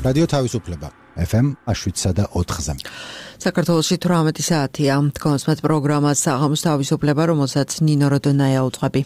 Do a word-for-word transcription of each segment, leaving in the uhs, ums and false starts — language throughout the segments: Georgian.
რადიო თავისუფლება ეფ ემ შვიდსა და ოთხზე. საქართველოში თვრამეტი საათია. თქვენს პროგრამას საღამოს თავისუფლება, რომელსაც ნინო როდონაია უძღვები.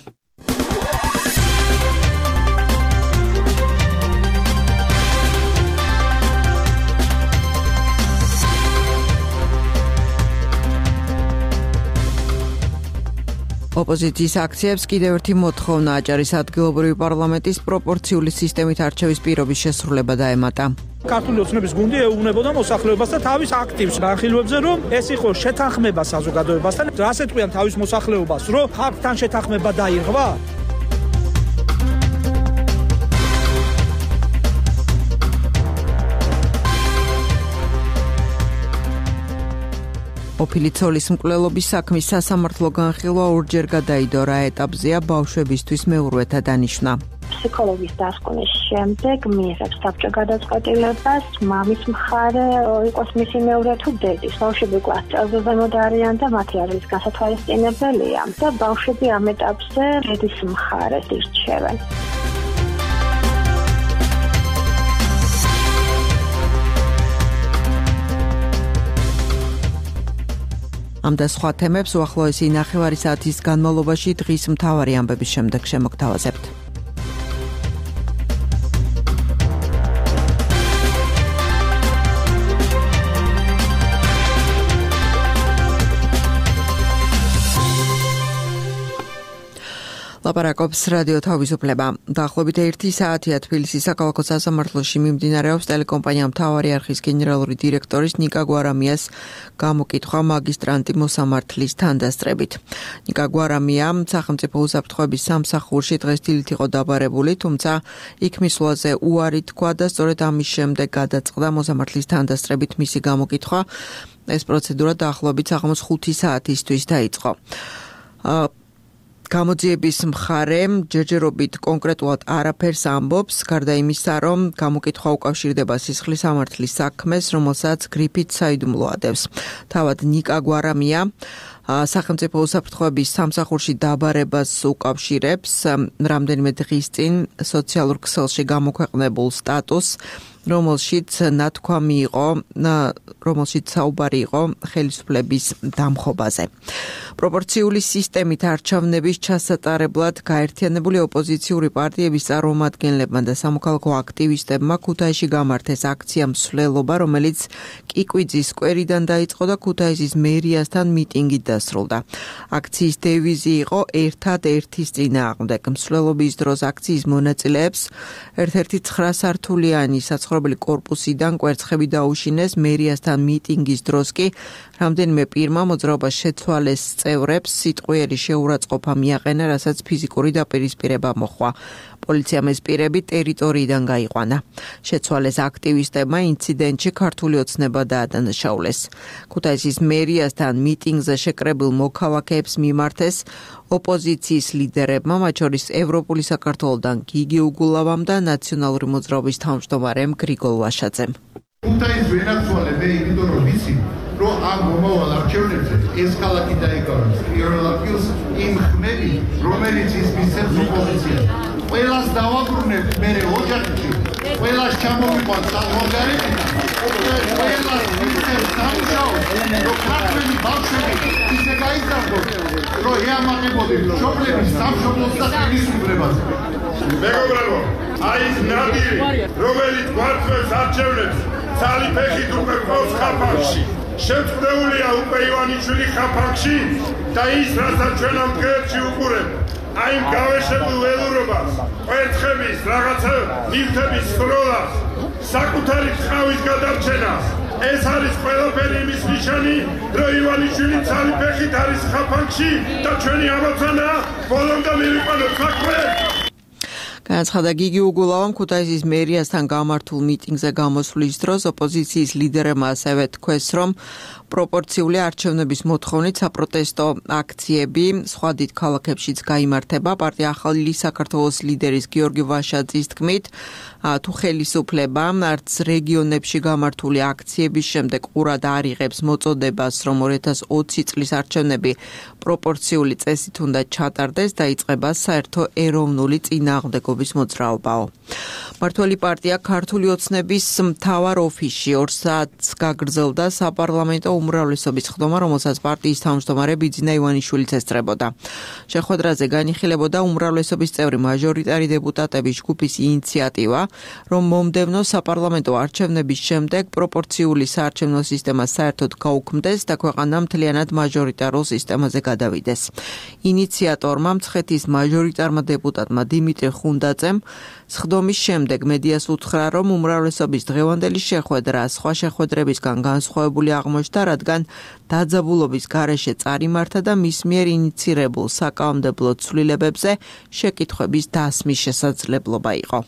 ოპოზიციის აქციებს კიდევ ერთი მოთხოვნა აჭარის ადგილობრივი პარლამენტის პროპორციული სისტემით არჩევის პირობის შესრულება დაემატა. ქართული ოცნების გუნდი ეუბნებოდა მოსახლეობას და თავის აქტივს განხილვებზე, რომ ეს იყო შეთანხმება საზოგადოებასთან. რას ეთქვიან თავის მოსახლეობას, რომ ხალხთან შეთანხმება დაირღვა? ყოფილი ცოლის მკვლელობის საქმის სასამართლო განხილვა ორჯერ გადაიდო, რა ეტაპზეა ბავშვებისთვის მეურვეთა დანიშვნა. ფსიქოლოგის დასკვნის შემდეგ მიიღებს საბჭო გადაწყვეტილებას, მამის მხარე იყოს მისი მეურვე თუ დედის. ბავშვები კლას წელზე ზემოთ არიან და მათი არის გასათვალისწინებელია და ბავშვები ამ ეტაპზე დედის მხარეს ირჩევენ. ამ და სხვა თემებს უახლოესი ნახევარი საათის განმავლობაში დღის მთავარი ამბების შემდეგ შემოგთავაზებთ. ლაპარაკობს რადიო თავისუფლება. დაახლოებით ერთი საათია თბილისის საქალაქო სასამართლოში მიმდინარეობს ტელეკომპანია მთავარი არხის გენერალური დირექტორის ნიკა გვარამიას გამოკითხვა მაგისტრანტი მოსამართლის თანდასწრებით. ნიკა გვარამია სახელმწიფო უსაფრთხოების სამსახურში დღეს დილით იყო დაბარებული, თუმცა იქ მისვლაზე უარი თქვა და სწორედ ამის შემდეგ გადაწყდა მოსამართლის თანდასწრებით მისი გამოკითხვა. ეს პროცედურა დაახლოებით საღამოს ხუთი საათისთვის დაიწყო. გამოძიების მხარე ჯერჯერობით კონკრეტულად არაფერს ამბობს, გარდა იმისა, რომ გამოკითხვა უკავშირდება სისხლის სამართლის საქმეს, რომელსაც გრიფით საიდუმლო ადევს. თავად ნიკა გვარამია სახელმწიფო უსაფრთხოების სამსახურში დაბარებას უკავშირებს რამდენიმე დღის წინ სოციალურ ქსელში გამოქვეყნებულ სტატუსს, რომელშიც ნათქვამი იყო, რომელშიც საუბარი იყო ხელისუფლების დამხობაზე. პროპორციული სისტემით არჩევნების ჩასატარებლად გაერთიანებული ოპოზიციური პარტიების წარმომადგენლებმა და სამოქალაქო აქტივისტებმა ქუთაისში გამართეს აქცია მსვლელობა, რომელიც კიკვიძის სკვერიდან დაიწყო და ქუთაისის მერიასთან მიტინგით დასრულდა. აქციის დევიზი იყო ერთად ერთის წინააღმდეგ. მსვლელობის დროს აქციის მონაწილეებს ერთ-ერთი ცხრა სართულიანი საცხოვრებელი კორპუსიდან კვერცხები დაუშინეს. მერიასთან მიტინგის დროს კი რამდენიმე პირმა მოძრაობას შეცვალეს წევრებს სიტყვიერი შეურაცხყოფა მიაყენა, რასაც ფიზიკური დაპირისპირება მოჰყვა. პოლიციამ ეს პირები ტერიტორიიდან გაიყვანა. შეცვალეს აქტივისტებმა ინციდენტში ქართული ოცნება დაადანაშაულეს. ქუთაისის მერიასთან მიტინგზე შეკრებილ მოქალაქეებს მიმართეს ოპოზიციის ლიდერებმა, მათ შორის ევროპული საქართველოდან გიგი უგულავამ და ნაციონალური მოძრაობის თავმჯდომარემ გრიგოლ ვაშაძემ. ქუთაისს ვენაცვალე მე იმიტომ რომ ვიცი, რომ ამ მომავალ არჩევნებზე ეს ქალაქი დაიკავებს პირველ ადგილს იმ ხმები, რომელიც ის მისცემს ოპოზიციას. ყველას დავაბრუნებთ მერე ოჯახში, ყველას ჩამოვიყვანთ საზღვარგარეთიდან, ყველას მისცემს სამუშაოს, რომ ქართველი ბავშვები ისე გაიზარდოს, რომ ეამაყებოდნენ მშობლების სამშობლოს და ხელისუფლებაზე. მეგობრებო, აი ეს ნადირი, რომელიც გვარწევს არჩევნებს, ცალი ფეხით უკვე ყავს ხაფანში. შეწყვეტილია უკვე ივანიშვილი ხაფანში და ის, რასაც ჩვენ ამ დღეებში უყურებთ, აი ამ გავეშებულ ველურობას, კვერცხების, რაღაცა ნივთების სროლას, საკუთარი ხავის გადარჩენას. ეს არის ყველაფერი იმის ნიშანი, რომ ივანიშვილი ცალი ფეხით არის ხაფანში და ჩვენი ამოცანაა ბოლომდე მივიყვანოთ საქმე. განაცხადა გიგი უგულავამ ქუთაისის მერიასთან გამართულ მიტინგზე გამოსვლის დროს. ოპოზიციის ლიდერებმა ასევე თქვეს, რომ პროპორციული არჩევნების მოთხოვნით საპროტესტო აქციები სხვა დიდ ქალაქებშიც გაიმართება. პარტია ახალი საქართველოს ლიდერის გიორგი ვაშაძის თქმით, თუ ხელისუფლება არც რეგიონებში გამართული აქციების შემდეგ ყურად არ იღებს მოწოდებას, რომ ორი ათას ოცი წლის არჩევნები პროპორციული წესით უნდა ჩატარდეს, დაიწყება საერთო ეროვნული წინააღმდეგობა მართლმადიდებლობის მოძრაობაო. მართველი პარტია ქართული ოცნების მთავარ ოფისში ორ საათს გაგრძელდა საპარლამენტო უმრავლესობის ხდომა, რომელსაც პარტიის თავმჯდომარე ბიძინა ივანიშვილიც ესწრებოდა. შეხვედრაზე განიხილებოდა უმრავლესობის წევრი მაჟორიტარი დეპუტატების ჯგუფის ინიციატივა, რომ მომდევნო საპარლამენტო არჩევნების შემდეგ პროპორციული საარჩევნო სისტემა საერთოდ გაუქმდეს და ქვეყანა მთლიანად მაჟორიტარულ სისტემაზე გადავიდეს. ინიციატორმა მცხეთის მაჟორიტარმა დეპუტატმა დიმიტრი ხუნდაძემ სხდომის შემდეგ მედიას უთხრა, რომ უმრავლესობის დღევანდელი შეხვედრა სხვა შეხვედრებისგან განსხვავებული აღმოჩნდა, რადგან დაძაბულობის გარეშე წარიმართა და მის მიერ ინიცირებულ საკანონმდებლო ცვლილებებზე შეკითხვების დასმის შესაძლებლობა იყო.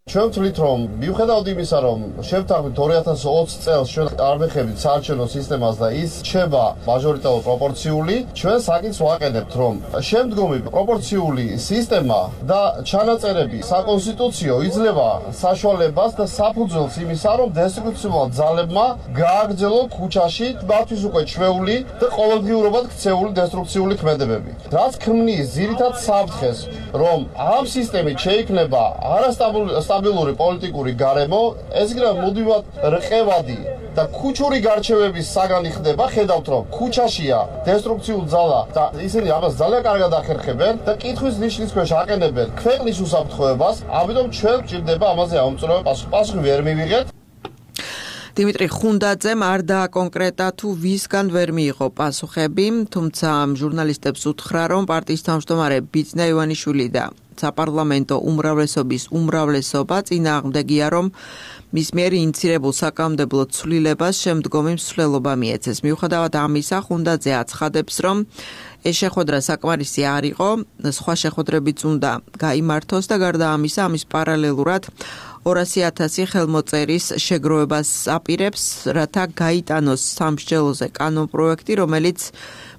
ჩვენ ვთვლით, რომ მიუხედავად იმისა, რომ შევთანხმდით ორი ათას ოცი წელს ჩვენ არ მეხებით საარჩევნო სისტემას და ის რჩება მაჟორიტარულ პროპორციული, ჩვენ საკითხს ვაყენებთ, რომ შემდგომი პროპორციული სისტემა და ჩანაწერები საკონსტიტუციო იძლევა საშუალებას და საფუძველს იმისა, რომ დესტიტუციურმა ძალებმა გააგრძელონ ქუჩაში მათთვის უკვე ჩვეული და ყოველდღიურობად ქცეული დესტრუქციული ქმედებები. რაც ქმნის ძირითად საფრთხეს, რომ ამ სისტემით შეიქმნება არასტაბილური სტაბილური პოლიტიკური გარემო, ეს იქნება მუდმივად რყევადი და ქუჩური გარჩევების საგანი ხდება, ხედავთ, რომ ქუჩაშია დესტრუქციულ ძალა და ისინი ამას ძალიან კარგად ახერხებენ და კითხვის ნიშნის ქვეშ აყენებენ ქვეყნის უსაფრთხოებას, ამიტომ ჩვენ გვჭირდება ამაზე ამომწურავი პასუხი. პასუხი ვერ მივიღეთ. დიმიტრი ხუნდაძემ არ დააკონკრეტა თუ ვისგან ვერ მიიღო პასუხები, თუმცა ჟურნალისტებს უთხრა, რომ პარტიის თავმჯდომარე ბიძინა ივანიშვილი და საპარლამენტო უმრავლესობის უმრავლესობა წინააღმდეგია, რომ მის მიერ ინიცირებულ საკანონმდებლო ცვლილებას შემდგომი მსვლელობა მიეცეს. მიუხედავად ამისა, ხუნდაძე აცხადებს, რომ ეს შეხვედრა საკმარისი არ იყო, სხვა შეხვედრებიც უნდა გაიმართოს და გარდა ამისა, ამის პარალელურად ორასი ათასი ხელმოწერის შეგროვებას აპირებს, რათა გაიტანოს სამსჯელოზე კანონპროექტი, რომელიც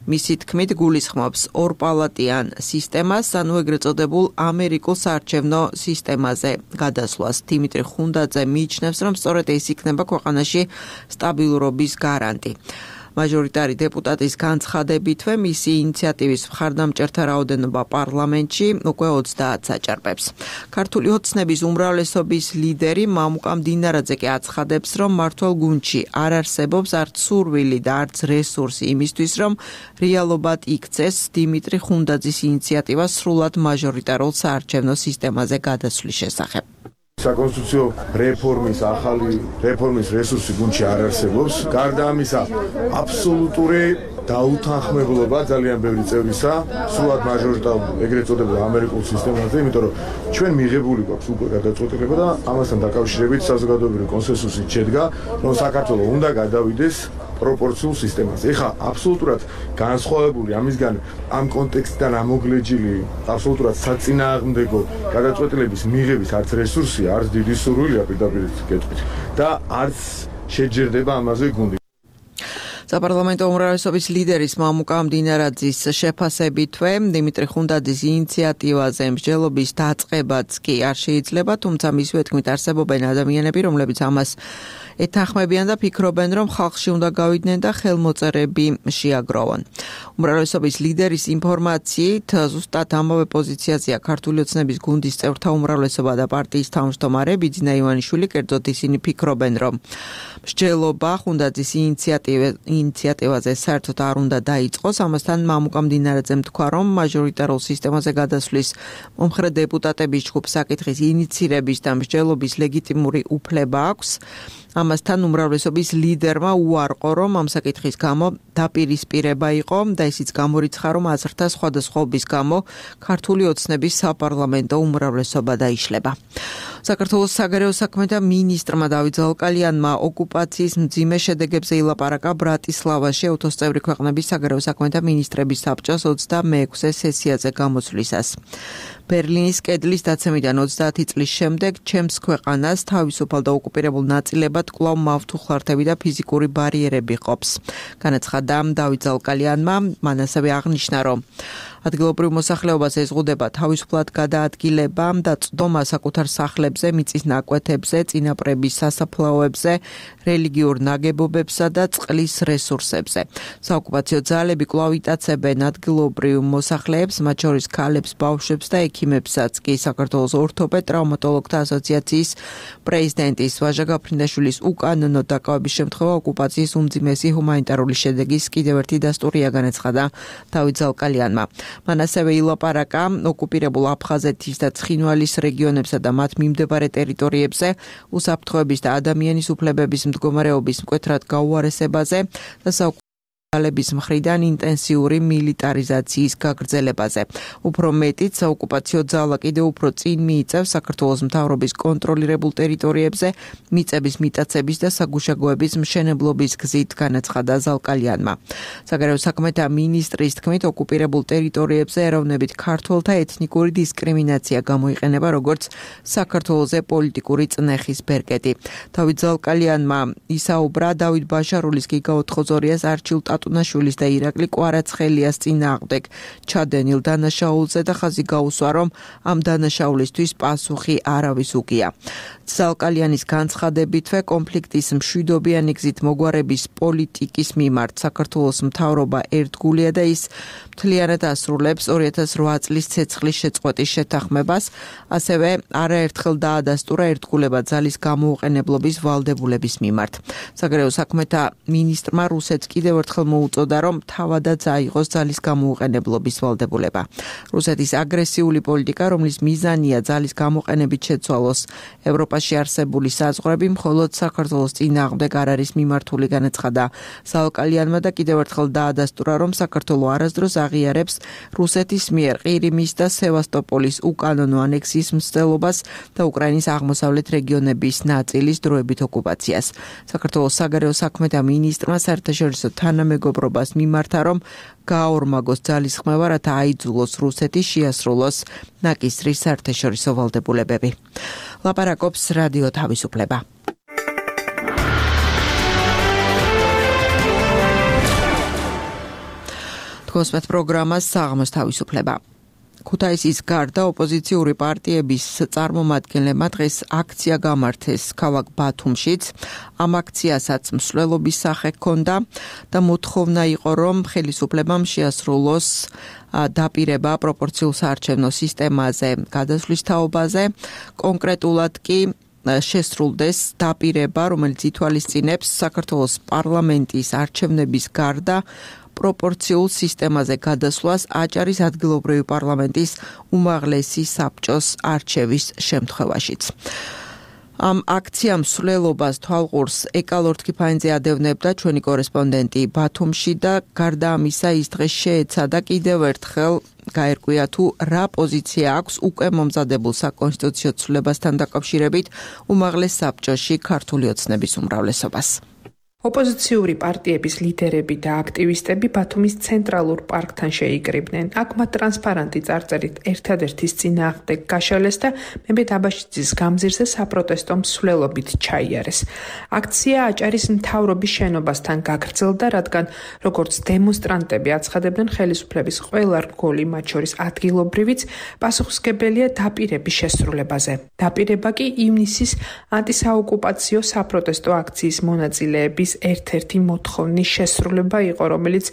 მისი თქმით გულისხმობს ორპალატიან სისტემას, ანუ ეგრეთ წოდებულ ამერიკულ საარჩევნო სისტემაზე გადასვლას. დიმიტრი ხუნდაძე მიიჩნევს, რომ სწორედ ეს იქნება ქვეყანაში სტაბილურობის გარანტი. მაჟორიტარი დეპუტატის განცხადებითვე მისი ინიციატივის მხარდამჭერთა რაოდენობა პარლამენტში უკვე ოცდაათს აჭარბებს. ქართული ოცნების უმრავლესობის ლიდერი მამუკა მდინარაძე კი აცხადებს, რომ მმართველ გუნდში არ არსებობს არც სურვილი და არც რესურსი იმისთვის, რომ რეალობად იქცეს დიმიტრი ხუნდაძის ინიციატივა სრულად მაჟორიტარულ საარჩევნო სისტემაზე გადასვლის შესახებ. საკონსტიტუციო რეფორმის ახალი რეფორმის რესურსი გუნდში არ არსებობს. გარდა ამისა, აბსოლუტური დაუთანხმებლობა ძალიან ბევრი წევრისა სრულად მაჟორიტარულ ეგრეთ წოდებულ ამერიკულ სისტემაზე, იმიტომ რომ ჩვენ მიღებული გვაქვს უკვე გადაწყვეტილება და ამასთან დაკავშირებით საზოგადოებრივი კონსენსუსით შედგა, რომ საქართველოს უნდა გადავიდეს პროპორციულ სისტემაზე. ეხლა აბსოლუტურად განსხვავებული ამისგან ამ კონტექსტიდან ამოგლეჯილი აბსოლუტურად საწინააღმდეგო გადაწყვეტილების მიღების არც რესურსი, არც დიდი სურვილია პირდაპირ გეტყვით და არც შეჯერდება ამაზე გუნდი. საპარლამენტო უმრავლესობის ლიდერის მამუკა მდინარაძის შეფასებითვე დიმიტრი ხუნდაძის ინიციატივაზე მსჯელობის დაწყებაც კი არ შეიძლება, თუმცა მისივე თქმით არსებობენ ადამიანები, რომლებიც ამას ეთანხმებიან და ფიქრობენ, რომ ხალხში უნდა გავიდნენ და ხელმოწერები შეაგროვონ. უმრავლესობის ლიდერის ინფორმაციით, ზუსტად ამავე პოზიციაზეა ქართული ოცნების გუნდის წევრთა უმრავლესობა და პარტიის თავმჯდომარე ბიძინა ივანიშვილი, კერძოდ ისინი ფიქრობენ, რომ მსჯელობა ხუნდაძის ინიციატივაზე საერთოდ არ უნდა დაიწყოს. ამასთან მამუკა მდინარაძემ თქვა, რომ მაჟორიტარულ სისტემაზე გადასვლის მომხრე დეპუტატების ჯგუფს საკითხის ინიცირების და მსჯელობის ლეგიტიმური უფლება აქვს. ამასთან უმრავლესობის ლიდერმა უარყო, რომ ამ საკითხის გამო დაპირისპირება იყო და ისიც გამორიცხა, რომ აზრთა სხვადასხვაობის გამო ქართული ოცნების საპარლამენტო უმრავლესობა დაიშლება. საქართველოს საგარეო საქმეთა მინისტრმა დავით ზალკალიანმა ოკუპაციის მძიმე შედეგებზე ილაპარაკა ბრატისლავაში ათოცწევრი ქვეყნების საგარეო საქმეთა მინისტრების საბჭოს ოცდამეექვსე სესიაზე გამოსვლისას. ბერლინის კედლის დაცემიდან ოცდაათი წლის შემდეგ ჩემს ქვეყანას თავისუფალ და ოკუპირებულ ნაწილებად კვლავ მავთუხლართები და ფიზიკური ბარიერები ყოფს. განაცხადა დავით ზალკალიანმა, მან ასევე აღნიშნა, რომ ადგილობრივ მოსახლეობას ეზღუდება თავისუფლად გადაადგილება და წდომა საკუთარ სახლებზე, მიწის ნაკვეთებზე, წინაპრების სასაფლაოებზე, რელიგიურ ნაგებობებსა და წყლის რესურსებზე. საოკუპაციო ძალები კვლავ იტაცებენ ადგილობრივ მოსახლეებს, მათ შორის ქალებს, ბავშვებს და ექიმებსაც კი საქართველოს ორთოპედ ტრავმატოლოგთა ასოციაციის პრეზიდენტის ვაჟა გაფრინდაშვილის უკანონო დაკავების შემთხვევა ოკუპაციის უმძიმესი ჰუმანიტარული შედეგის კიდევ ერთი დასტურია, განაცხადა დავით ზალკალიანმა. მან ასევე ილაპარაკა ოკუპირებულ აფხაზეთის და ცხინვალის რეგიონებსა და მათ მიმდებარე ტერიტორიებზე უსაფრთხოების და ადამიანის უფლებების მდგომარეობის მკვეთრად გაუარესებაზე და საოკუპაციების მხრიდან ინტენსიური მილიტარიზაციის გაგრძელებაზე. უფრო მეტიც, საოკუპაციო ძალა კიდევ უფრო წინ მიიწევს საქართველოს მთავრობის კონტროლირებულ ტერიტორიებზე მიწების მიტაცების და საგუშაგოების მშენებლობის გზით, განაცხადა ზალკალიანმა. საგარეო საქმეთა მინისტრის თქმით, ოკუპირებულ ტერიტორიებზე ეროვნებით ქართველთა ეთნიკური დისკრიმინაცია გამოიყენება როგორც საქართველოზე პოლიტიკური წნეხის ბერკეტი. დავით ზალკალიანმა ისაუბრა დავით ბაშარულის, გიგა ოთხოძორიას, არჩილ ტატუნაშვილის და ირაკლი კვარაცხელიას წინააღმდეგ ჩადენილ დანაშაულზე და ხაზი გაუსვა, რომ ამ დანაშაულისთვის პასუხი არავის უგია. ზალკალიანის განცხადებითვე კონფლიქტის მშვიდობიანი გზით მოგვარების პოლიტიკის მიმართ საქართველოს მთავრობა ერთგულია და ის მთლიანად ასრულებს ორი ათას რვა წლის ცეცხლის შეწყვეტის შეთანხმებას, ასევე არაერთხელ დაადასტურა ერთგულება ძალის გამოუყენებლობის ვალდებულების მიმართ. საგარეო საქმეთა მინისტრმა რუსეთს კიდევ ერთხელ მოუწოდა, რომ თავადაც აიღოს ძალის გამოუყენებლობის ვალდებულება. რუსეთის აგრესიული პოლიტიკა, რომლის მიზანია ძალის გამოყენებით შეცვალოს ევროპაში არსებული საზღვრები, მხოლოდ საქართველოს წინააღმდეგ არ არის მიმართული, განაცხადა ზალკალიანმა და კიდევ ერთხელ დაადასტურა, რომ საქართველო არასდროს აღიარებს რუსეთის მიერ ყირიმის და სევასტოპოლის უკანონო ანექსიის მცდელობას და უკრაინის აღმოსავლეთ რეგიონების ნაწილის დროებით ოკუპაციას. საქართველოს საგარეო საქმეთა მინისტრმა საერთაშორისო თანამეგობრობას მიმართა, რომ გააორმაგოს ძალის ხმევა, რათა აიძულოს რუსეთი შეასრულოს ნაკისრის საერთაშორისო ვალდებულებები. ლაპარაკობს რადიო თავისუფლება. თქოსმეთ პროგრამას საღამოს თავისუფლება. ქუთაისის გარდა ოპოზიციური პარტიების წარმომადგენლებმა დღეს აქცია გამართეს ქალაქ ბათუმშიც. ამ აქციასაც მსვლელობის სახე ჰქონდა და მოთხოვნა იყო, რომ ხელისუფლებამ შეასრულოს დაპირება პროპორციულ საარჩევნო სისტემაზე გადასვლის თაობაზე. კონკრეტულად კი შესრულდეს დაპირება, რომელიც ითვალისწინებს საქართველოს პარლამენტის არჩევნების გარდა პროპორციულ სისტემაზე გადასვლას აჭარის ადგილობრივი პარლამენტის უმაღლესი საბჭოს არჩევის შემთხვევაშიც. ამ აქციამ მსვლელობას თვალყურს ეკალორთქიფანიძე ადევნებდა ჩვენი კორესპონდენტი ბათუმში და გარდა ამისა ის დღეს შეეცადა კიდევ ერთხელ გაერკვია თუ რა პოზიცია აქვს უკვე მომზადებულ საკონსტიტუციო ცვლილებასთან დაკავშირებით უმაღლეს საბჭოში ქართული ოცნების უმრავლესობას. ოპოზიციური პარტიების ლიდერები და აქტივისტები ბათუმის ცენტრალურ პარკთან შეიკრიბნენ. აქ მათ ტრანსპარანტი წარწერით ერთადერთის წინააღმდეგ გაშალეს და მემედ აბაშიძის გამზირზე საპროტესტო მსვლელობით ჩაიარეს. აქცია აჭარის მთავრობის შენობასთან გაგრძელდა, რადგან როგორც დემონსტრანტები აცხადებდნენ, ხელისუფლების ყველა რგოლი, მათ შორის ადგილობრივიც, პასუხისმგებელია დაპირების შესრულებაზე. დაპირება კი ივნისის ანტისაოკუპაციო საპროტესტო აქციის მონაწილეების ერთ-ერთი მოთხოვნის შესრულება იყო, რომელიც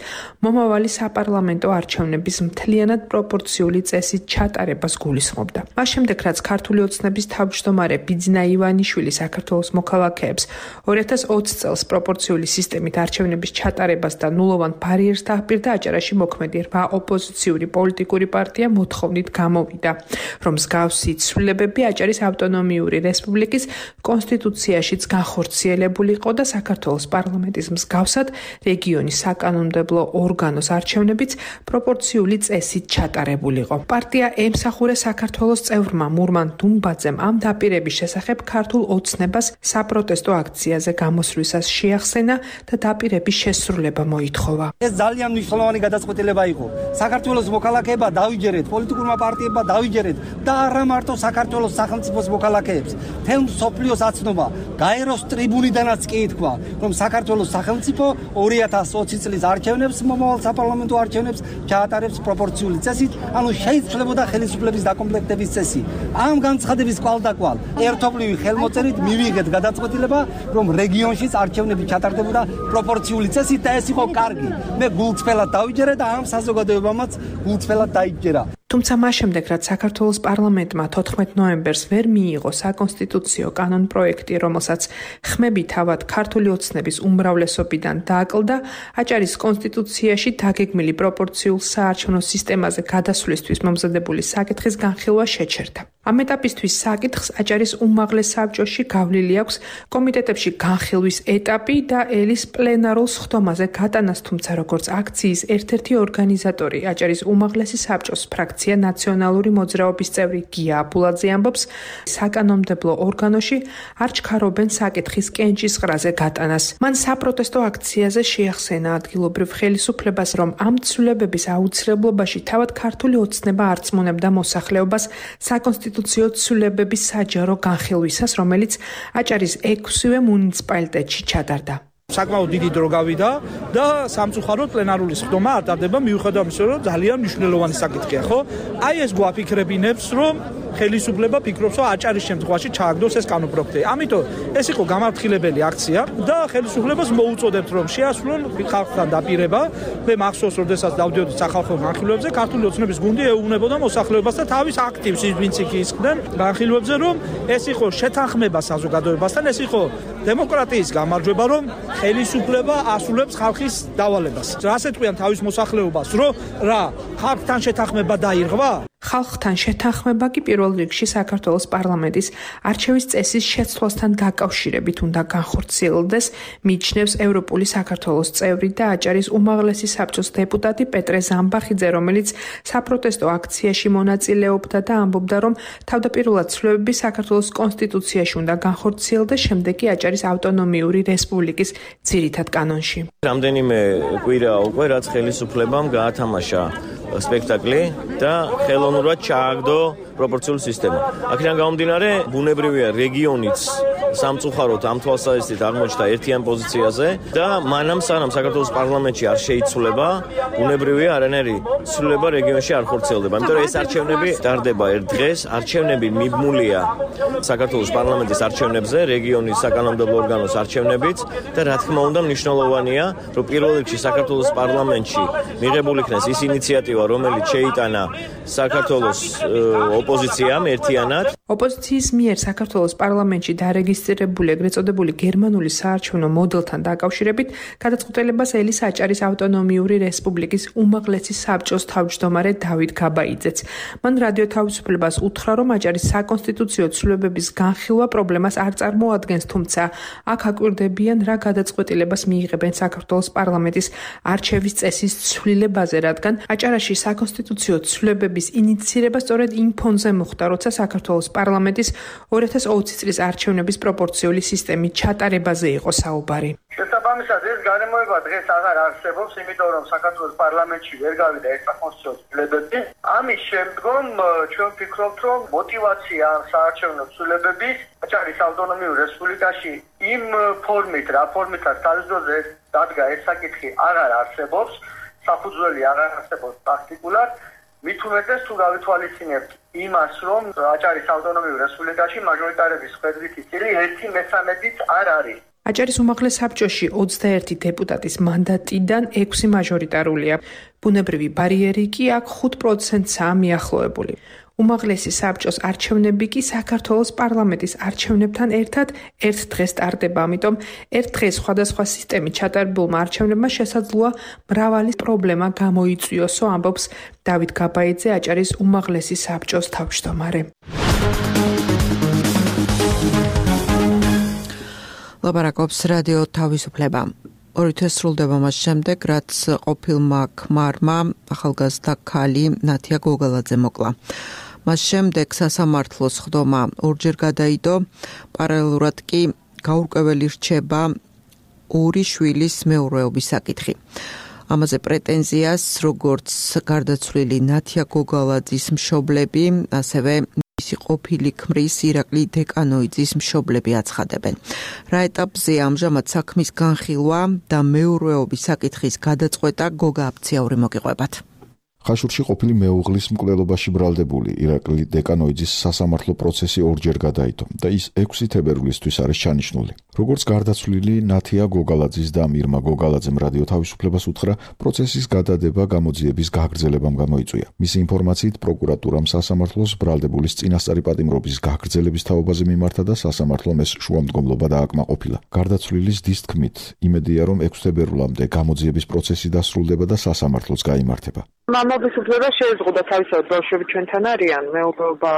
მომავალი საპარლამენტო არჩევნების მთლიანად პროპორციული წესით ჩატარებას გულისხმობდა. მას შემდეგ, რაც ქართული ოცნების თავმჯდომარე ბიძინა ივანიშვილი საქართველოს მოქალაქეებს ორი ათას ოცი წელს პროპორციული სისტემით არჩევნების ჩატარებას და ნულოვან ბარიერს დააპირდა, აჭარაში მოქმედი რვა ოპოზიციური პოლიტიკური პარტია მოთხოვნით გამოვიდა, რომ მსგავსი ცვლილებები აჭარის ავტონომიური რესპუბლიკის კონსტიტუციაშიც განხორციელებულიყო და საქართველოს პარლამენტის მსგავსად რეგიონის საკანონმდებლო ორგანოს არჩევნებიც პროპორციული წესით ჩატარებულიყო. პარტია ემსახურა საქართველოს წევრმა მურმან დუმბაძემ ამ დაპირების შესახებ ქართულ ოცნებას საპროტესტო აქციაზე გამოსვლისას შეახსენა და დაპირების შესრულება მოითხოვა. ეს ძალიან მნიშვნელოვანი გადაწყვეტილება იყო. საქართველოს მოქალაქეება დავიჯერეთ, პოლიტიკურმა პარტიებმა დავიჯერეთ და არა მარტო საქართველოს სახელმწიფოს მოქალაქეებს. თელ მსოფლიოს აცნობა გაეროს ტრიბუნიდანაც კი ითქვა, რომ საქართველოს სახელმწიფო ორი ათას ოცი წლის არჩევნებს, მომავალ საპარლამენტო არჩევნებს ჩაატარებს პროპორციული წესით, ანუ შეიცვლებოდა ხელისუფლების დაკომპლექტების წესი. ამ განცხადების კვალდაკვალ ერთობლივი ხელმოწერით მივიღეთ გადაწყვეტილება, რომ რეგიონშიც არჩევნები ჩატარდებოდა პროპორციული წესით და ეს იყო კარგი. მე გულწრფელად დავიჯერე და ამ საზოგადოებამაც გულწრფელად დაიჯერა. თუმცა მას შემდეგ, რაც საქართველოს პარლამენტმა თოთხმეტ ნოემბერს ვერ მიიღო საკონსტიტუციო კანონპროექტი, რომელსაც ხმები თავად ქართული ოცნების უმრავლესობიდან დააკლდა, აჭარის კონსტიტუციაში დაგეგმილი პროპორციულ საარჩევნო სისტემაზე გადასვლისთვის მომზადებული საკითხის განხილვა შეჩერდა. ამ ეტაპისთვის საკითხს აჭარის უმაღლეს საბჭოში გავლილი აქვს კომიტეტებში განხილვის ეტაპი და ელის პლენარულ სხდომაზე გატანას, თუმცა როგორც აქციის ერთ-ერთი ორგანიზატორი აჭარის უმაღლესი საბჭოს ფრაქცია ნაციონალური მოძრაობის წევრი გია აბულაძე ამბობს, საკანონმდებლო ორგანოში არ ჩქარობენ საკითხის კენჭისყრაზე გატანას. მან საპროტესტო აქციაზე შეახსენა ადგილობრივ ხელისუფლებას, რომ ამ ცვლილებების აუცილებლობაში თავად ქართული ოცნება არწმუნებდა მოსახლეობას საკონსტიტუციო ცვლილებების საჯარო განხილვისას, რომელიც აჭარის ექვსივე მუნიციპალიტეტში ჩატარდა. საკმაოდ დიდი დრო გავიდა და სამწუხაროდ პლენარული სხდომა არ ტარდება, მიუხედავად იმისა, რომ ძალიან მნიშვნელოვანი საკითხია, ხო? აი ეს გვაფიქრებინებს, რომ ხელისუფლება ფიქრობს, რომ აჭარის შემთხვევაში ჩააგდოს ეს კანონპროექტი. ამიტომ ეს იყო გამართლებელი აქცია და ხელისუფლებას მოუწოდებთ, რომ შეასრულონ ხალხთან დაპირება. მე მახსოვს, როდესაც დავდიოდი სახალხო განხილვებზე, ქართული ოცნების გუნდი ეუბნებოდა მოსახლეობას და თავის აქტივს ვინც იქ ისხდნენ განხილვებზე, რომ ეს იყო შეთანხმება საზოგადოებასთან, ეს იყო დემოკრატიის გამარჯვება, რომ ხელისუფლება ასრულებს ხალხის დავალებას. რას ეტყვიან თავის მოსახლეობას, რომ რა ხალხთან შეთანხმება დაირღვა? ხალხთან შეთანხმება კი პირველ რიგში საქართველოს პარლამენტის არჩევის წესის შეცვლასთან დაკავშირებით უნდა განხორციელდეს, მიიჩნევს ევროპული საქართველოს წევრი და აჭარის უმაღლესი საბჭოს დეპუტატი პეტრე ზამბახიძე, რომელიც საპროტესტო აქციაში მონაწილეობდა და ამბობდა, რომ თავდაპირველად ცვლილებები საქართველოს კონსტიტუციაში უნდა განხორციელდეს, შემდეგ კი აჭარის ავტონომიური რესპუბლიკის ძირითად კანონში. რამდენიმე კვირა უკვე რაც ხელისუფლებამ გაათამაშა სპექტაკლი და ხელოვნურად ჩააგდო პროპორციული სისტემა. აქედან გამომდინარე, ბუნებრივია რეგიონიც სამწუხაროდ ამ თვალსაზრისით აღმოჩნდა ერთიან პოზიციაზე და მანამ სანამ საქართველოს პარლამენტში არ შეიცვლება, ბუნებრივია არანაირი ცვლილება რეგიონში არ ხორციელდება. იმიტომ რომ ეს არჩევნები ტარდება ერთ დღეს, არჩევნები მიბმულია საქართველოს პარლამენტის არჩევნებზე, რეგიონის საკანონმდებლო ორგანოს არჩევნებით და რა თქმა უნდა მნიშვნელოვანია, რომ პირველ რიგში საქართველოს პარლამენტში მიღებული იქნას ის ინიციატივა, რომელიც შეიტანა საქართველოს ოპოზიციამ ერთიანად. ოპოზიციის მიერ საქართველოს პარლამენტში დარეგისტრირებული ეგრეთ წოდებული გერმანული საარჩევნო მოდელთან დაკავშირებით გადაწყვეტილებას ელის აჭარის ავტონომიური რესპუბლიკის უმაღლესი საბჭოს თავმჯდომარე დავით გაბაიძეც. მან რადიო თავისუფლებას უთხრა, რომ აჭარის საკონსტიტუციო ცვლილებების განხილვა პრობლემას არ წარმოადგენს, თუმცა აქ აკვირდებიან რა გადაწყვეტილებას მიიღებენ საქართველოს პარლამენტის არჩევის წესის ცვლილებაზე, რადგან აჭარაში საკონსტიტუციო ცვლილებების ინიციირება სწორედ იმ ფონზე მოხდა, როცა საქართველოს პარლამენტის ორი ათას ოცი წლის არჩევნების პროპორციული სისტემის ჩატარებაზე იყო საუბარი. შესაბამისად, ეს გარემოება დღეს აღარ არსებობს, იმიტომ რომ საქართველოს პარლამენტში ვერ გავიდა ეს საკონსტიტუციო ცვლილებები. ამის შემდგომ ჩვენ ვფიქრობთ, რომ мотиваცია საარჩევნო ცვლილებების აჭარის ავტონომიურ რესპუბლიკაში იმ ფორმით, რა ფორმითაც თავისუფლად დადგა ეს საკითხი აღარ არსებობს, საფუძველი აღარ არსებობს პრაქტიკულად. მით უმეტეს თუ გავითვალისწინებთ იმას, რომ აჭარის ავტონომიურ რესპუბლიკაში მაჟორიტარების ხედვითი წილი ერთი მესამედიც არ არის. აჭარის უმაღლეს საბჭოში ოცდაერთი დეპუტატის მანდატიდან ექვსი მაჟორიტარულია. ბუნებრივი ბარიერი კი აქ ხუთ პროცენტსაა მიახლოებული. უმაღლესი საბჭოს არჩევნები კი საქართველოს პარლამენტის არჩევნებთან ერთად ერთ დღეს ტარდება, ამიტომ ერთ დღეს სხვადასხვა სისტემით ჩატარებულმა არჩევნებმა შესაძლოა მრავალი პრობლემა გამოიწვიოსო, ამბობს დავით გაბაიძე, აჭარის უმაღლესი საბჭოს თავმჯდომარე. ლაპარაკობს რადიო თავისუფლება. ორი თვე სრულდება მას შემდეგ, რაც ყოფილმა ქმარმა ახალგაზრდა ქალი ნათია გოგალაძე მოკლა. მას შემდეგ სასამართლოს სხდომა ორჯერ გადაიდო, პარალელურად კი გაურკვეველი რჩება ორი შვილის მეურვეობის საკითხი. ამაზე პრეტენზიას როგორც გარდაცვლილი ნათია გოგალაძის მშობლები, ასევე მისი ყოფილი ქმრის ირაკლი დეკანოიძის მშობლები აცხადებენ. რა ეტაპზე ამჟამად საქმის განხილვა და მეურვეობის საკითხის გადაწყვეტა გოგა აფციაური მოგიყვებათ. ხაშურში ყოფილი მეუღლის მკვლელობაში ბრალდებული ირაკლი დეკანოიძის სასამართლო პროცესი ორჯერ გადაიდო და ის ექვსი თებერვლისთვის არის ჩანიშნული. როგორც გარდაცვლილი ნათია გოგალაძის და მირმა გოგალაძემ რადიო თავისუფლებას უთხრა, პროცესის გადადება გამოძიების გაგრძელებამ გამოიწვია. მისი ინფორმაციით პროკურატურამ სასამართლოს ბრალდებულის წინასწარი პატიმრობის გაგრძელების თაობაზე მიმართა და სასამართლომ ეს შუამდგომლობა დააკმაყოფილა. გარდაცვლილის დის თქმით, იმედია რომ ექვსი თებერვლამდე გამოძიების პროცესი დასრულდება და სასამართლოც გაიმართება. მამობის უფლება შეეზღუდა თავისთავად ბავშვები ჩვენთან არიან, მეუღლეობა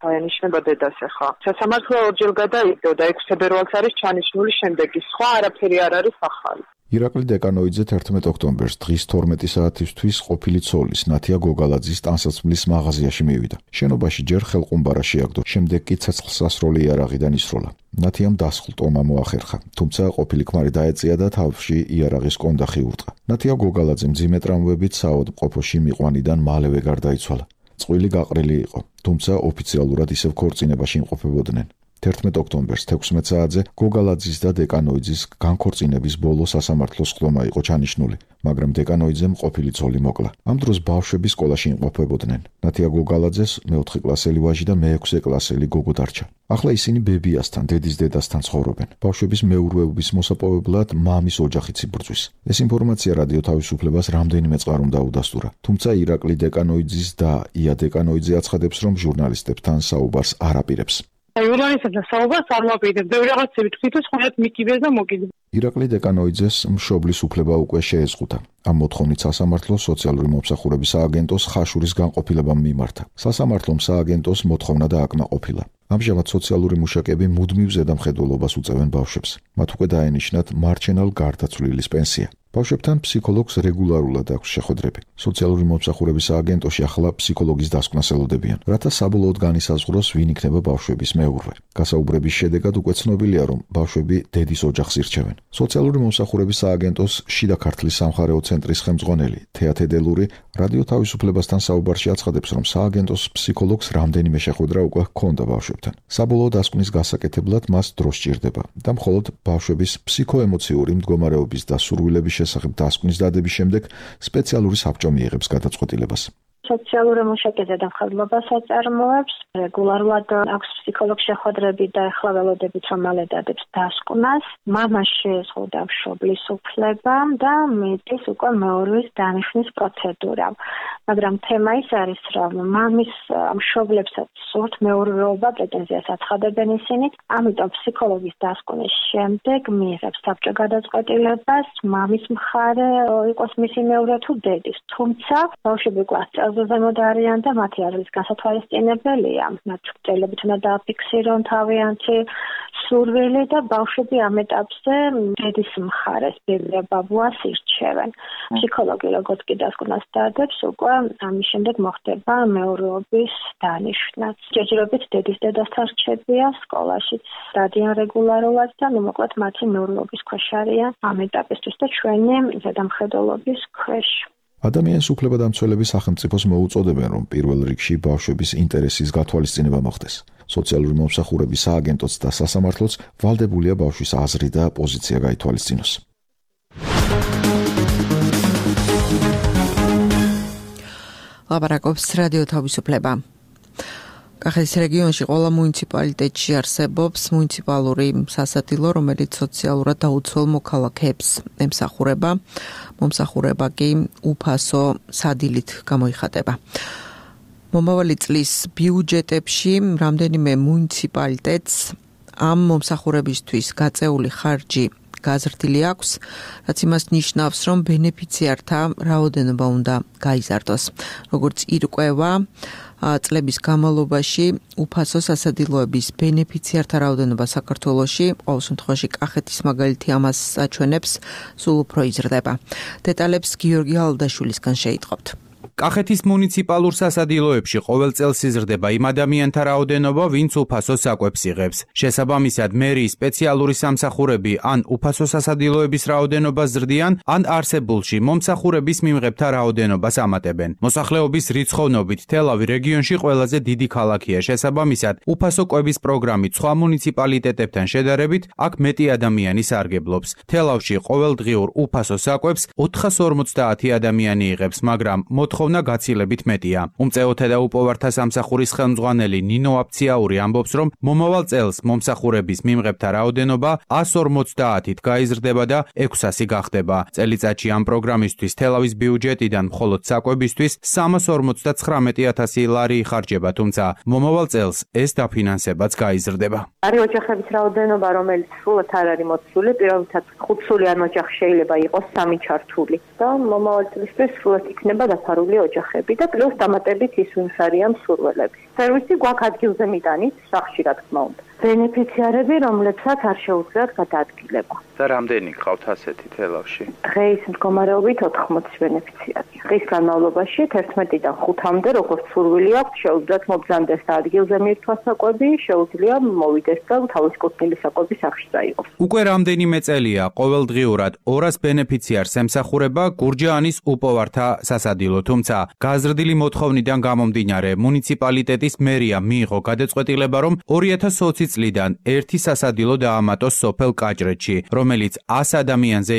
დაენიშნება დედას ახლა. სასამართლო ორჯერ გადაიდო და ექვსი თებერვალს არის ჩანიშნული შემდეგი. სხვა არაფერი არ არის ახალი. ირაკლი დეკანოიძე თერთმეტ ოქტომბერს დღის თორმეტი საათისთვის ყოფილი ცოლის ნათია გოგალაძის ტანსაცმლის მაღაზიაში მივიდა. შენობაში ჯერ ხელყუმბარა შეაგდო, შემდეგ კი ცეცხლსასროლი იარაღიდან ისროლა. ნათიამ დასხლტომა მოახერხა, თუმცა ყოფილი ქმარი დაეწია და თავში იარაღის კონდახი ურტყა. ნათია გოგალაძე მძიმე ტრამვებით საავადმყოფოში მიყვანიდან მალევე გარდაიცვალა. წყვილი გაყრილი იყო, თუმცა ოფიციალურად ისევ ქორწინებაში იმყოფებოდნენ. თერთმეტ ოქტომბერს თექვსმეტ საათზე გოგალაძის და დეკანოიძის განქორწინების ბოლო სასამართლოს ხდომა იყო ჩანიშნული, მაგრამ დეკანოიძემ ყოფილი ცოლი მოკლა. ამ დროს ბავშვები სკოლაში იმყოფებოდნენ. ნათია გოგალაძეს მეოთხე კლასელი ვაჟი და მეექვსე კლასელი გოგო დარჩა. ახლა ისინი ბებიასთან, დედის დედასთან ცხოვრობენ. ბავშვების მეურვეობის მოსაპოვებლად მამის ოჯახიც იბრძვის. ეს ინფორმაცია რადიო თავისუფლებას რამდენიმე წყარომ დაუდასტურა. თუმცა ირაკლი დეკანოიძის და ია დეკანოიძე აცხადებს, რომ ჟურნალისტებთან საუბარს არ აპირებს. ჟურნალისტებთან საუბარს არ მოპირდებ. ბევრი რაღაცები თქვით, ხოლმე მიკიბეს და მოკიდე. ირაკლი დეკანოიძეს მშობლის უფლება უკვე შეეზღუდა. ამ მოთხოვნით სასამართლო სოციალური მომსახურების სააგენტოს ხაშურის განყოფილებამ მიმართა. სასამართლომ სააგენტოს მოთხოვნა დააკმაყოფილა. ამჟამად სოციალური მუშაკები მუდმივ ზედამხედველობას უწევენ ბავშვებს. მათ უკვე დაენიშნათ მარჩენალ გარდაცვლილის პენსია. ბავშვებთან ფსიქოლოგს რეგულარულად აქვს შეხვედრები. სოციალური მომსახურების სააგენტოში ახლა ფსიქოლოგის დასკვნას ელოდებიან, რათა საბოლოოდ განისაზღვროს ვინ იქნება ბავშვების მეურვე. გასაუბრების შედეგად უკვე ცნობილია, რომ ბავშვები დედის ოჯახს ირჩევენ. სოციალური მომსახურების სააგენტოს შიდა ქართლის სამხარეო ცენტრის ხელმძღვანელი თეათედელური რადიო თავისუფლებასთან საუბარში აცხადებს, რომ სააგენტოს ფსიქოლოგს რამდენიმე შეხვედრა უკვე ჰქონდა ბავშვებთან. საბოლოო დასკვნის გასაკეთებლად მას დრო სჭირდება და მხოლოდ ბავშვების ფსიქოემოციური მდგომარეობის და სურვილების შესახებ დასკვნის დადების შემდეგ სპეციალური საბჭო მიიღებს გადაწყვეტილებას. სოციალური მუშაკეზე დამხმარებლობას აწარმოებს, რეგულარულად აქვს ფსიქოლოგ შეხვედრები და ახლა ველოდებით რომ მალე დადებს დასკვნას. მამას შეეზღუდა მშობლის უფლება და მეტის უკვე მეურვლის დანიშვნის პროცედურა. მაგრამ თემა ის არის, რომ მამის მშობლებსაც სურთ მეურვეობა, პრეტენზიას აცხადებენ ისინი, ამიტომ ფსიქოლოგის დასკვნის შემდეგ მიიღებს საბჭო გადაწყვეტილებას, მამის მხარე იყოს მისი მეურვე თუ დედის. თუმცა ბავშვები კლასზე ზემოთ არიან და მათი არის განსათვალისწინებელია. მათ წელებით უნდა დააფიქსირონ თავიანთი სურვილი და ბავშვები ამ ეტაპზე დედის მხარეს ბაბუას ირჩევენ. ფსიქოლოგი როგორც კი დასკვნას დადებს, უკვე ამის შემდეგ მოხდება მეურვეობის დანიშვნაც. ჯერჯერობით დედის დედასთან რჩებია, სკოლაშიც დადიან რეგულარულად და ნუ მოკლედ მათი მეურვეობის ქვეშ არიან ამ ეტაპისთვის და ჩვენი ზედამხედველობის ქვეშ. ადამიანის უფლებადამცველები სახელმწიფოს მოუწოდებენ, რომ პირველ რიგში ბავშვების ინტერესის გათვალისწინება მოხდეს. სოციალური მომსახურების სააგენტოც და სასამართლოც ვალდებულია ბავშვის აზრი და პოზიცია გაითვალისწინოს. ლაპარაკობს რადიო თავისუფლება. კახეთის რეგიონში ყველა მუნიციპალიტეტში არსებობს მუნიციპალური სასადილო, რომელიც სოციალურად დაუცველ მოქალაქეებს ემსახურება. მომსახურება კი უფასო სადილით გამოიხატება. მომავალი წლის ბიუჯეტებში რამდენიმე მუნიციპალიტეტს ამ მომსახურებისთვის გაწეული ხარჯი გაზრდილი აქვს, რაც იმას ნიშნავს, რომ ბენეფიციართა რაოდენობა უნდა გაიზარდოს. როგორც ირკვევა, წლების განმავლობაში უფასო სასადილოების ბენეფიციართა რაოდენობა საქართველოში, ყოველ შემთხვევაში კახეთის მაგალითი ამას აჩვენებს, სულ უფრო იზრდება. დეტალებს გიორგი ალდაშვილისგან შეიტყობთ. კახეთის მუნიციპალურ სასადილოებში ყოველ წელს იზრდება იმ ადამიანთა რაოდენობა, ვინც უფასო საკვებს იღებს. შესაბამისად, მერიის სპეციალური სამსახურები ან უფასო სასადილოების რაოდენობას ზრდიან, ან არსებულში მომსახურების მიმღებთა რაოდენობას ამატებენ. მოსახლეობის რიცხოვნობით თელავი რეგიონში ყველაზე დიდი ქალაქია. შესაბამისად, უფასო კვების პროგრამით სხვა მუნიციპალიტეტებთან შედარებით აქ მეტი ადამიანი სარგებლობს. თელავში ყოველდღიურ უფასო საკვებს ოთხასორმოცდაათი ადამიანი იღებს, მაგრამ მოთხოვნა მოთხოვნა გაცილებით მეტია. უმწეოთა და უპოვართა სამსახურის ხელმძღვანელი ნინო აფციაური ამბობს, რომ მომავალ წელს მომსახურების მიმღებთა რაოდენობა ას ორმოცდაათით გაიზრდება და ექვსასი გახდება. წელიწადში ამ პროგრამისთვის თელავის ბიუჯეტიდან მხოლოდ საკვებისთვის სამას ორმოცდაცხრამეტი ათასი ლარი იხარჯება, თუმცა მომავალ წელს ეს დაფინანსებაც გაიზრდება. არის ოჯახების რაოდენობა, რომელიც სრულად არ არის მოცული, პირობითად ხუთსულიან ოჯახი შეიძლება იყოს სამი ჩართული და მომავალ წლისთვის სრულად იქნება დაფარული ოჯახები და პლუს დამატებით ის ვინც არიან მსურველები. სერვისი გვაქვს ადგილზე მიტანით, სახლში რა თქმა უნდა. ბენეფიციარები, რომლებსაც არ შეუძლიათ გადაადგილება. და რამდენი გყავთ ასეთი თელავში? დღეის მდგომარეობით ოთხმოცი ბენეფიციარი. დღის განმავლობაში თერთმეტიდან ხუთამდე, როგორც სურვილი აქვს, შეუძლიათ მობრძანდეს და ადგილზე მიირთვას საკვები, შეუძლია მოვიდეს და თავის კუთვნილი საკვები სახლში წაიღოს. უკვე რამდენიმე წელია ყოველდღიურად ორას ბენეფიციარს ემსახურება გურჯაანის უპოვართა სასადილო, თუმცა გაზრდილი მოთხოვნიდან გამომდინარე მუნიციპალიტეტის მერია მიიღო გადაწყვეტილება, რომ ორი ათას ოცი წლიდან ერთი სასადილო დაამატოს სოფელ კაჭრეთში, რომელიც ას ადამიანზე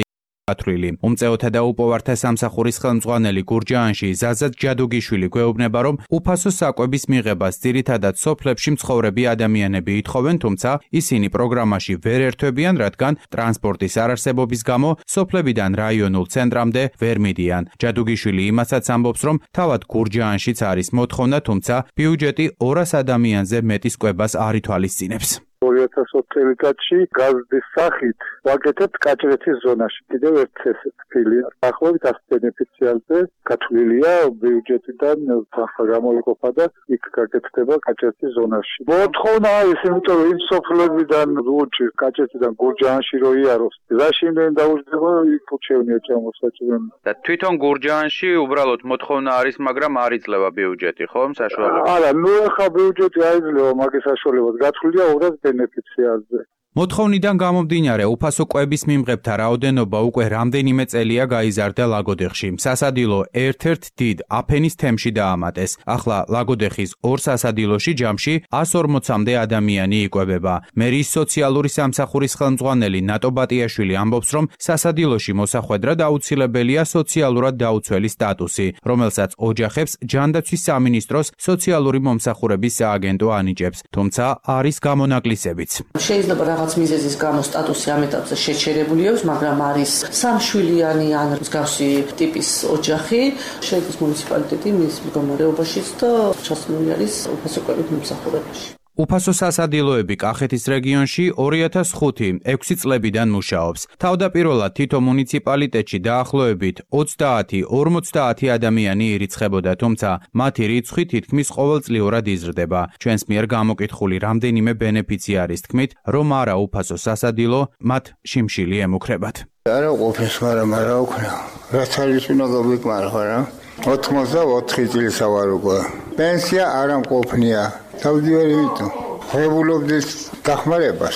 ათვლილი. უმწეოთა და უპოვართა სამსახურის ხელმძღვანელი გურჯაანში ზაზად ჯადუგიშვილი გვეუბნება, რომ უფასო საკვების მიღებას ძირითადად სოფლებში მცხოვრები ადამიანები ითხოვენ, თუმცა ისინი პროგრამაში ვერ ერთვებიან, რადგან ტრანსპორტის არარსებობის გამო სოფლებიდან რაიონულ ცენტრამდე ვერ მიდიან. ჯადუგიშვილი იმასაც ამბობს, რომ თავად გურჯაანშიც არის მოთხოვნა, თუმცა ბიუჯეტი ორას ადამიანზე მეტის კვებას არ ითვალისწინებს. ორი ათას ოცი წელიწადში გაზრდის სახით ვაკეთებთ კაჭრეთის ზონაში კიდევ ერთ ესეთ ფილიალს. დაახლოებით ას ბენეფიციარზე გათვლილია ბიუჯეტიდან თანხა გამოიყოფა და იქ გაკეთდება კაჭრეთის ზონაში. მოთხოვნა არის, იმიტომ რომ იმ სოფლებიდან ლუჩი კაჭრეთიდან გურჯაანში რო იაროს. რაში იმენ დაუждდება იქ უჩევნია ჩამოსაჭრელი. და თვითონ გურჯაანში უბრალოდ მოთხოვნა არის, მაგრამ არ იძლევა ბიუჯეტი, ხო, საშუალებას? არა, ნუ ახლა ბიუჯეტი აიძლევა მაგის საშუალებას. გათვლილია ორას ბენეფიციარზე. მოთხოვნიდან გამომდინარე, უფასო კვების მიმღებთა რაოდენობა უკვე რამდენიმე წელია გაიზარდა ლაგოდეხში. სასადილო ერთ-ერთ დიდ აფენის თემში დაამატეს. ახლა ლაგოდეხის ორ სასადილოში ჯამში ას ორმოცამდე ადამიანი იკვებება. მერიის სოციალური სამსახურის ხელმძღვანელი ნატო ბატიაშვილი ამბობს, რომ სასადილოში მოსახვედრად აუცილებელია სოციალურად დაუცველი სტატუსი, რომელსაც ოჯახებს ჯანდაცვის სამინისტროს სოციალური მომსახურების სააგენტო ანიჭებს, თუმცა არის გამონაკლისებიც. შეიძლება რაღაც მიზეზის გამო სტატუსი ამ ეტაპზე შეჩერებული აქვს, მაგრამ არის სამშვილიანი ან მსგავსი ტიპის ოჯახი, შედის მუნიციპალიტეტი მის მდგომარეობაშიც და ჩასული არის უფასო კვებით მომსახურებაში. უფასო სასადილოები კახეთის რეგიონში ორი ათას ხუთი ექვსი წლებიდან მუშაობს. თავდაპირველად თითო მუნიციპალიტეტში დაახლოებით ოცდაათი ორმოცდაათი ადამიანი ირიცხებოდა, თუმცა მათი რიცხვი თითქმის ყოველწლიურად იზრდება. ჩვენს მიერ გამოკითხული რამდენიმე ბენეფიციარის თქმით, რომ არა უფასო სასადილო, მათ შიმშილი ემუქრებათ. არა ყოფეს, მაგრამ არა უქნა. რაც არის უნდა გაგვიკმარხა რა. ოთხმოცდაოთხი წელსა ვარ უკვე. პენსია არ ამყოფნია. თავდივარი ვიტო. ხედულობდეს დახმარებას.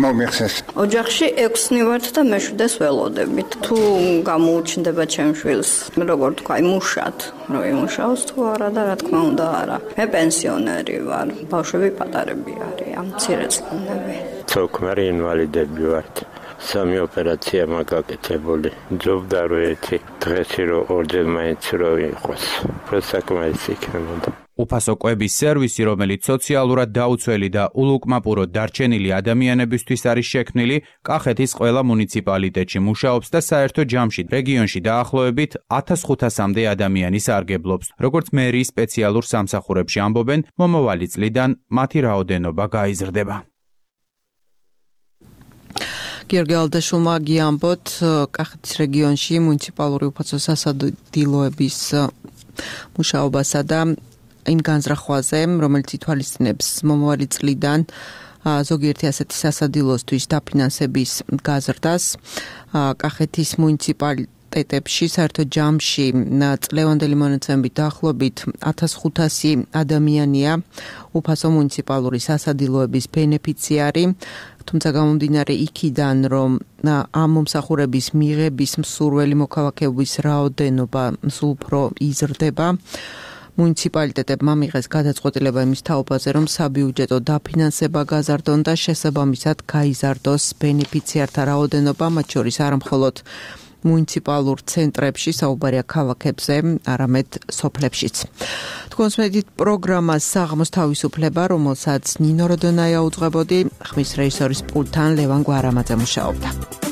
მომიხსენს. ოჯახში ექვსნი ვართ და მეშვიდეს ველოდებით. თუ გამოუჩნდება ჩემს შვილს, როგორ თქვა, იმუშათ, რომ იმუშაოს თუ არა და რა თქმა უნდა არა. მე პენსიონერი ვარ. ბავშვები პატარები არიან, მცირე წლები. ცოქმარი ინვალიდები ვართ. სამი ოპერაცია მაგაკეთებული. ჯობდა რო ერთი დღეში რო ორჯერ მაინც რო იყოს. პროსაკმაის იქნებოდა. უფასო კვების სერვისი, რომელიც სოციალურად დაუცველი და ულუკმაპურო დარჩენილი ადამიანებისთვის არის შექმნილი, კახეთის ყველა მუნიციპალიტეტში მუშაობს და საერთო ჯამში რეგიონში დაახლოებით ათას ხუთასამდე ადამიანი სარგებლობს. როგორც მერიის სპეციალურ სამსახურებში ამბობენ, მომავალი წლიდან მათი რაოდენობა გაიზრდება. გიორგი ალდაშულმა გიამბოთ, კახეთის რეგიონში მუნიციპალური უფასო სასადილოების მუშაობასა და იმ განზრახვაზე, რომელიც ითვალისწინებს მომავალი წლიდან ზოგიერთი ასეთი სასადილოსთვის დაფინანსების გაზრდას. კახეთის მუნიციპალიტეტებში საერთო ჯამში წლევანდელი მონაცემებით დაახლოებით ათას ხუთასი ადამიანია უფასო მუნიციპალური სასადილოების ბენეფიციარი. თუმცა გამომდინარე იქიდან, რომ ამ მომსახურების მიღების მსურველი მოქალაქეების რაოდენობა სულ უფრო იზრდება, მუნიციპალიტეტებმა მიიღეს გადაწყვეტილება იმის თაობაზე, რომ საბიუჯეტო დაფინანსება გაზარდონ და შესაბამისად გაიზარდოს ბენეფიციართა რაოდენობა, მათ შორის არა მხოლოდ მუნიციპალურ ცენტრებში, საუბარია ქალაქებზე, არამედ სოფლებშიც. თქვენს მედით პროგრამა საღამოს თავისუფლება, რომელსაც ნინო როდონაია უძღვებოდი, ხმის რეჟისორის პულტთან ლევან გვარამაძე მუშაობდა.